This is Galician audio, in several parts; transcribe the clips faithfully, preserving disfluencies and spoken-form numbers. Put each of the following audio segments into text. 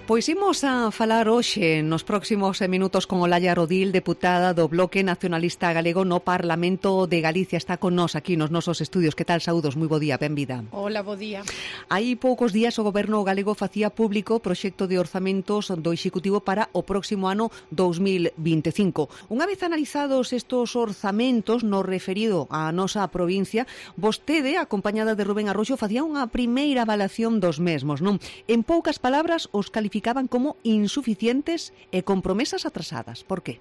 Pois imos a falar hoxe nos próximos minutos con Olalla Rodil, deputada do Bloque Nacionalista Galego no Parlamento de Galicia. Está con nós aquí nos nosos estudios. Que tal, saúdos? Moi bo día, benvida. Hola, bo día. Hai poucos días o Goberno galego facía público o proxecto de orzamentos do Executivo para o próximo ano dous mil vinte e cinco. Unha vez analizados estos orzamentos no referido á nosa provincia, vostede, acompañada de Rubén Arroxo, facía unha primeira avalación dos mesmos, non? En poucas palabras, os calificaban como insuficientes e con promesas atrasadas. Por qué?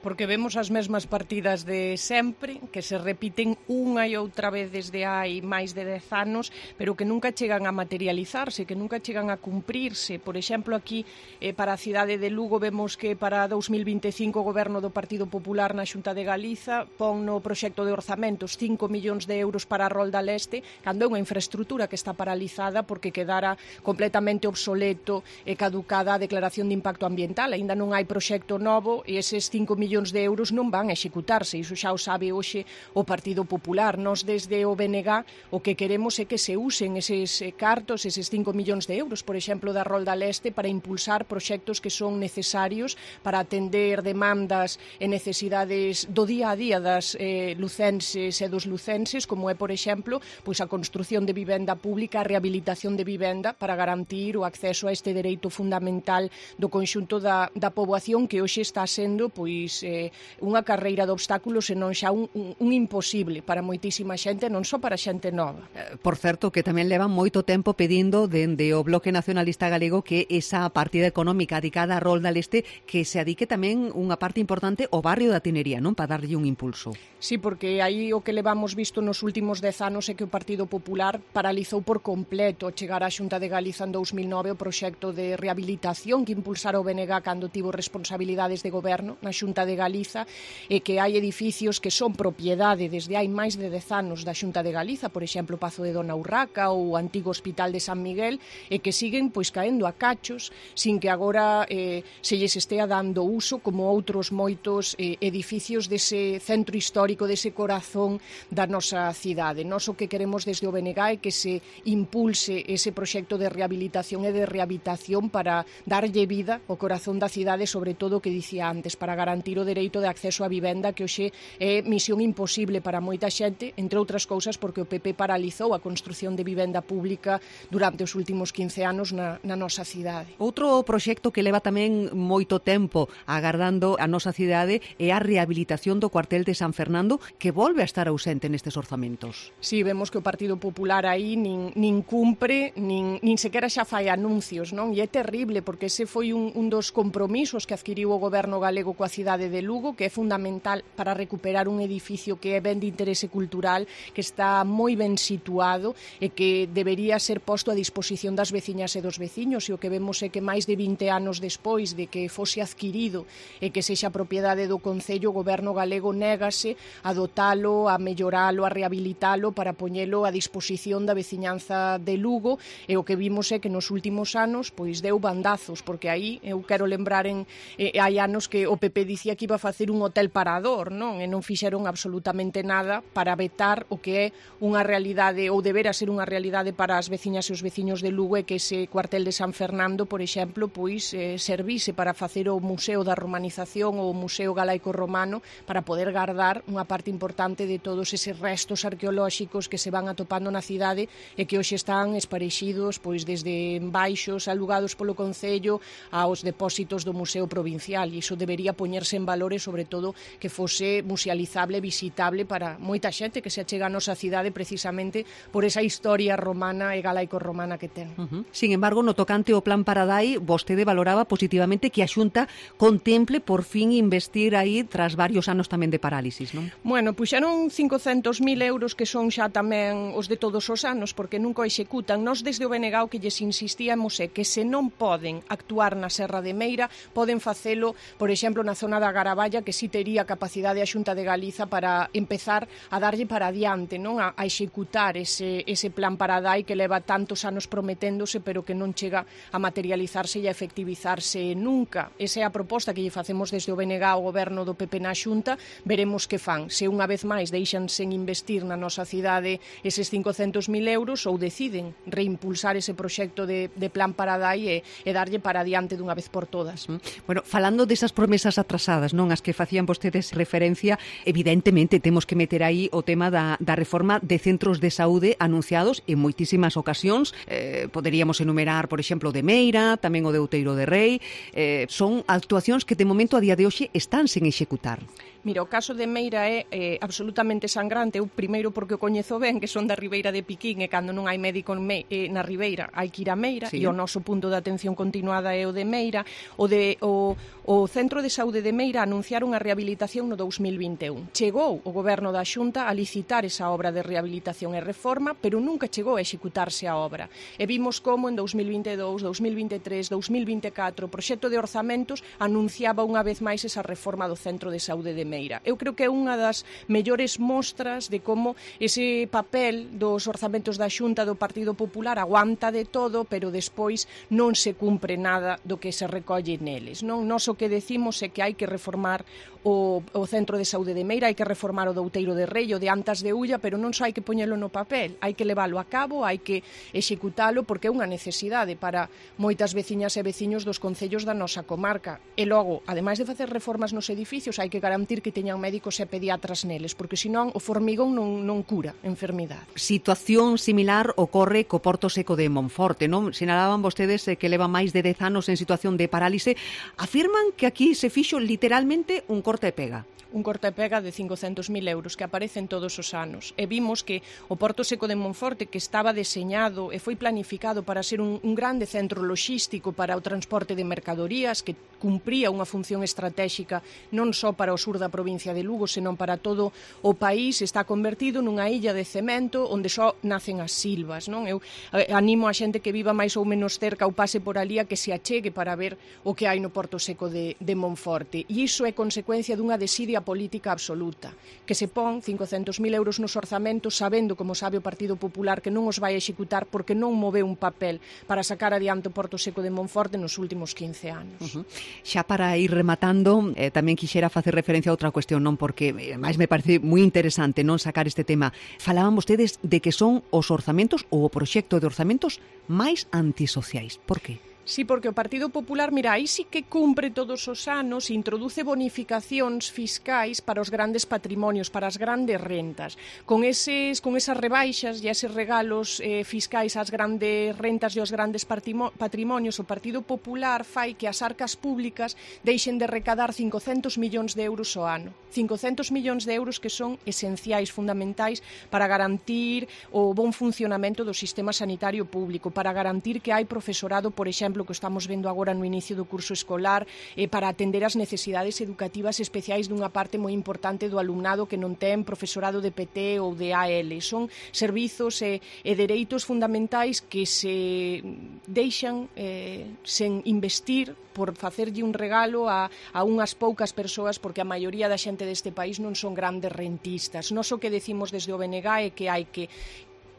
Porque vemos as mesmas partidas de sempre, que se repiten unha e outra vez desde hai máis de dez anos, pero que nunca chegan a materializarse, que nunca chegan a cumprirse. Por exemplo, aquí, eh, para a cidade de Lugo, vemos que para dous mil vinte e cinco o Goberno do Partido Popular na Xunta de Galiza pon no proxecto de orzamentos cinco millóns de euros para a Rolda Leste, cando é unha infraestructura que está paralizada porque quedara completamente obsoleto e caducada a declaración de impacto ambiental. Aínda non hai proxecto novo e eses cinco millóns de euros non van a executarse. Iso xa o sabe hoxe o Partido Popular. Nos desde o B N G o que queremos é que se usen eses cartos, eses cinco millóns de euros, por exemplo, da Rolda Leste, para impulsar proxectos que son necesarios para atender demandas e necesidades do día a día das eh, lucenses e dos lucenses, como é, por exemplo, pois a construción de vivenda pública, a rehabilitación de vivenda para garantir o acceso a este dereito fundamental do conxunto da, da poboación, que hoxe está sendo pois eh, unha carreira de obstáculos e non xa un, un, un imposible para moitísima xente, non só para xente nova. Por certo, que tamén levan moito tempo pedindo dende o Bloque Nacionalista Galego que esa partida económica dedicada á Rolda Leste que se adique tamén unha parte importante ao barrio da Tinería, non? Para darlle un impulso. Sí, porque aí o que levamos visto nos últimos dez anos é que o Partido Popular paralizou por completo chegar á Xunta de Galiza en dous mil nove o proxecto de rehabilitación que impulsara o B N G cando tivo responsabilidades de goberno na Xunta de Galiza, e que hai edificios que son propiedade desde hai máis de dez anos da Xunta de Galiza, por exemplo, o Pazo de Dona Urraca ou o antigo Hospital de San Miguel, e que siguen pois caendo a cachos sin que agora eh, se lles estea dando uso como outros moitos eh, edificios dese centro histórico, dese corazón da nosa cidade. Nós o que queremos desde o B N G é que se impulse ese proxecto de rehabilitación e de rehabilitación para darlle vida ao corazón da cidade, sobre todo o que dicía antes, para garantir o dereito de acceso á vivenda, que hoxe é misión imposible para moita xente, entre outras cousas porque o P P paralizou a construción de vivenda pública durante os últimos quince anos na, na nosa cidade. Outro proxecto que leva tamén moito tempo agardando a nosa cidade é a rehabilitación do cuartel de San Fernando, que volve a estar ausente nestes orzamentos. Sí, vemos que o Partido Popular aí nin, nin cumpre, nin, nin sequera xa fai anuncios, non? E é terrible porque ese foi un, un dos compromisos que adquiriu o Goberno galego coa cidade de Lugo, que é fundamental para recuperar un edificio que é ben de interese cultural, que está moi ben situado e que debería ser posto a disposición das veciñas e dos veciños, e o que vemos é que máis de vinte anos despois de que fose adquirido e que sexa propiedade do Concello, o Goberno galego négase a dotalo, a melloralo, a rehabilitalo para poñelo a disposición da veciñanza de Lugo, e o que vimos é que nos últimos anos pois deu bandazos, porque aí eu quero lembrar en eh, hai anos que o P P dicía que iba a facer un hotel parador, non? E non fixeron absolutamente nada para vetar o que é unha realidade ou debera ser unha realidade para as veciñas e os veciños de Lugo, e que ese cuartel de San Fernando, por exemplo, pois eh, servise para facer o Museo da Romanización ou o Museo Galaico-Romano, para poder guardar unha parte importante de todos eses restos arqueolóxicos que se van atopando na cidade e que hoxe están esparexidos pois desde baixos alugados polo Concello aos depósitos do Museo Provincial, e iso debería poñerse en valor e, sobre todo, que fose musealizable, visitable para moita xente que se achega a nosa cidade precisamente por esa historia romana e galaico-romana que ten. Uh-huh. Sin embargo, no tocante ao Plan Paradai, vostede valoraba positivamente que a Xunta contemple por fin investir aí tras varios anos tamén de parálisis, non? Bueno, puxeron cincocentos mil euros, que son xa tamén os de todos os anos, porque nunca o executan. Nós desde o B N G o que lles insistíamos é que se non poden actuar na Serra de Meira, poden facelo, por exemplo, na zona da Garaballa, que sí tería capacidade a Xunta de Galiza para empezar a darlle para adiante, non, a, a executar ese, ese plan Paradai que leva tantos anos prometéndose, pero que non chega a materializarse e a efectivizarse nunca. Esa é a proposta que lle facemos desde o B N G ao goberno do P P na Xunta. Veremos que fan, se unha vez máis deixan sen investir na nosa cidade eses cincocentos mil euros ou deciden reimpulsar ese proxecto de, de plan Paradai e, e darlle para adiante dunha vez por todas. Bueno, falando desas promesas atrasadas, non, as que facían vostedes referencia, evidentemente temos que meter aí o tema da, da reforma de centros de saúde anunciados en moitísimas ocasións. Eh, poderíamos enumerar, por exemplo, o de Meira, tamén o de Outeiro de Rei. Eh, son actuacións que de momento a día de hoxe están sen executar. Mira, o caso de Meira é eh, absolutamente sangrante. Eu primeiro porque o coñezo ben, que son da Ribeira de Piquín, e cando non hai médico me, eh, na Ribeira hai que ir a Meira, sí. E o noso punto de atención continuada é o de Meira. O, de, o, o Centro de Saúde de Meira anunciaron a rehabilitación no dous mil vinte e un. Chegou o goberno da Xunta a licitar esa obra de rehabilitación e reforma, pero nunca chegou a executarse a obra. E vimos como en dous mil vinte e dous, dous mil vinte e tres, dous mil vinte e catro o proxecto de orzamentos anunciaba unha vez máis esa reforma do Centro de Saúde de Meira. Eu creo que é unha das mellores mostras de como ese papel dos orzamentos da Xunta do Partido Popular aguanta de todo, pero despois non se cumpre nada do que se recolle neles. Non? Nos o que decimos é que hai que reformar o, o Centro de Saúde de Meira, hai que reformar o de Outeiro de Rei, o de Antas de Ulla, pero non só hai que poñelo no papel, hai que leválo a cabo, hai que executalo, porque é unha necesidade para moitas veciñas e veciños dos concellos da nosa comarca. E logo, ademais de facer reformas nos edificios, hai que garantir que teñan médicos e pediatras neles, porque senón o formigón non, non cura enfermidade. Situación similar ocorre co Porto Seco de Monforte, non? Sinalaban vostedes que leva máis de dez anos en situación de parálise. Afirman que aquí se fixo literalmente un corte e pega. Un corte e pega de cincocentos mil euros que aparecen todos os anos. E vimos que o Porto Seco de Monforte, que estaba deseñado e foi planificado para ser un, un grande centro logístico para o transporte de mercadorías, que cumpría unha función estratégica non só para o sur da provincia de Lugo, senón para todo o país, está convertido nunha illa de cemento onde só nacen as silvas. Non? Eu animo a xente que viva máis ou menos cerca ou pase por ali a que se achegue para ver o que hai no Porto Seco de, de Monforte. E iso é consecuencia dunha desidia política absoluta, que se pon cincocentos mil euros nos orzamentos sabendo, como sabe o Partido Popular, que non os vai executar porque non moveu un papel para sacar adiante o Porto Seco de Monforte nos últimos quince anos. Uh-huh. Xa para ir rematando, eh, tamén quixera facer referencia a outra cuestión, non, porque eh, máis me parece moi interesante non sacar este tema. Falaban vostedes de que son os orzamentos ou o proxecto de orzamentos máis antisociais. Por que? Sí, porque o Partido Popular, mira, aí sí que cumpre todos os anos, introduce bonificacións fiscais para os grandes patrimonios, para as grandes rentas. Con eses, con esas rebaixas e eses regalos eh, fiscais ás grandes rentas e aos grandes patrimonios, o Partido Popular fai que as arcas públicas deixen de recadar cincocentos millóns de euros ao ano. cincocentos millóns de euros que son esenciais, fundamentais, para garantir o bon funcionamento do sistema sanitario público, para garantir que hai profesorado, por exemplo, que estamos vendo agora no inicio do curso escolar, eh, para atender as necesidades educativas especiais dunha parte moi importante do alumnado que non ten profesorado de P T ou de A L. Son servizos e, e dereitos fundamentais que se deixan eh, sen investir por facerlle un regalo a, a unhas poucas persoas, porque a maioría da xente deste país non son grandes rentistas. Nos o que decimos desde o B N G é que hai que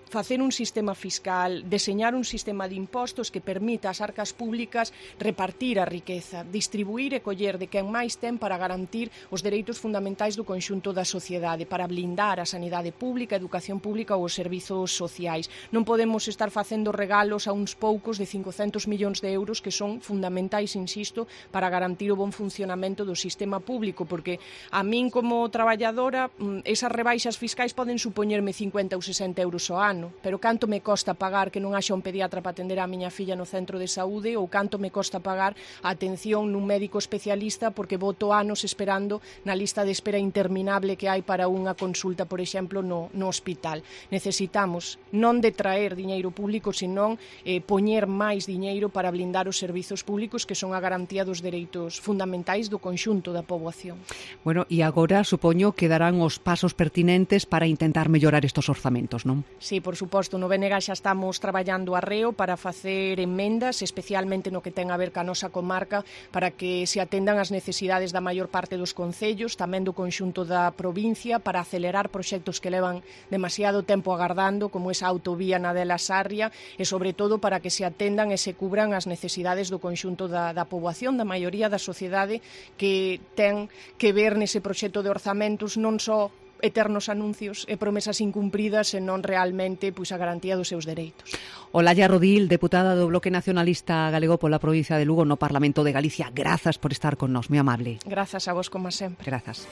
facer un sistema fiscal, deseñar un sistema de impostos que permita ás arcas públicas repartir a riqueza, distribuir e coller de quen máis ten para garantir os dereitos fundamentais do conxunto da sociedade, para blindar a sanidade pública, a educación pública ou os servizos sociais. Non podemos estar facendo regalos a uns poucos de cincocentos millóns de euros que son fundamentais, insisto, para garantir o bon funcionamento do sistema público, porque a min como traballadora esas rebaixas fiscais poden supoñerme cincuenta ou sesenta euros ao ano, pero canto me costa pagar que non haxa un pediatra para atender a miña filla no centro de saúde, ou canto me costa pagar a atención nun médico especialista porque voto anos esperando na lista de espera interminable que hai para unha consulta, por exemplo, no, no hospital. Necesitamos non detraer diñeiro público, senón eh, poñer máis diñeiro para blindar os servizos públicos que son a garantía dos dereitos fundamentais do conxunto da poboación. Bueno, e agora supoño que darán os pasos pertinentes para intentar mellorar estos orzamentos, non? Sí, por suposto, no B N G xa estamos traballando arreo para facer emendas, especialmente no que ten a ver ca nosa comarca, para que se atendan as necesidades da maior parte dos concellos, tamén do conxunto da provincia, para acelerar proxectos que levan demasiado tempo agardando, como esa autovía na de la Sarria, e sobre todo para que se atendan e se cubran as necesidades do conxunto da, da poboación, da maioría da sociedade, que ten que ver nese proxecto de orzamentos non só eternos anuncios e promesas incumpridas, senón realmente pois, a garantía dos seus dereitos. Olalla Rodil, deputada do Bloque Nacionalista Galego pola provincia de Lugo no Parlamento de Galicia. Grazas por estar con nós, moi amable. Grazas a vos, como sempre. Grazas.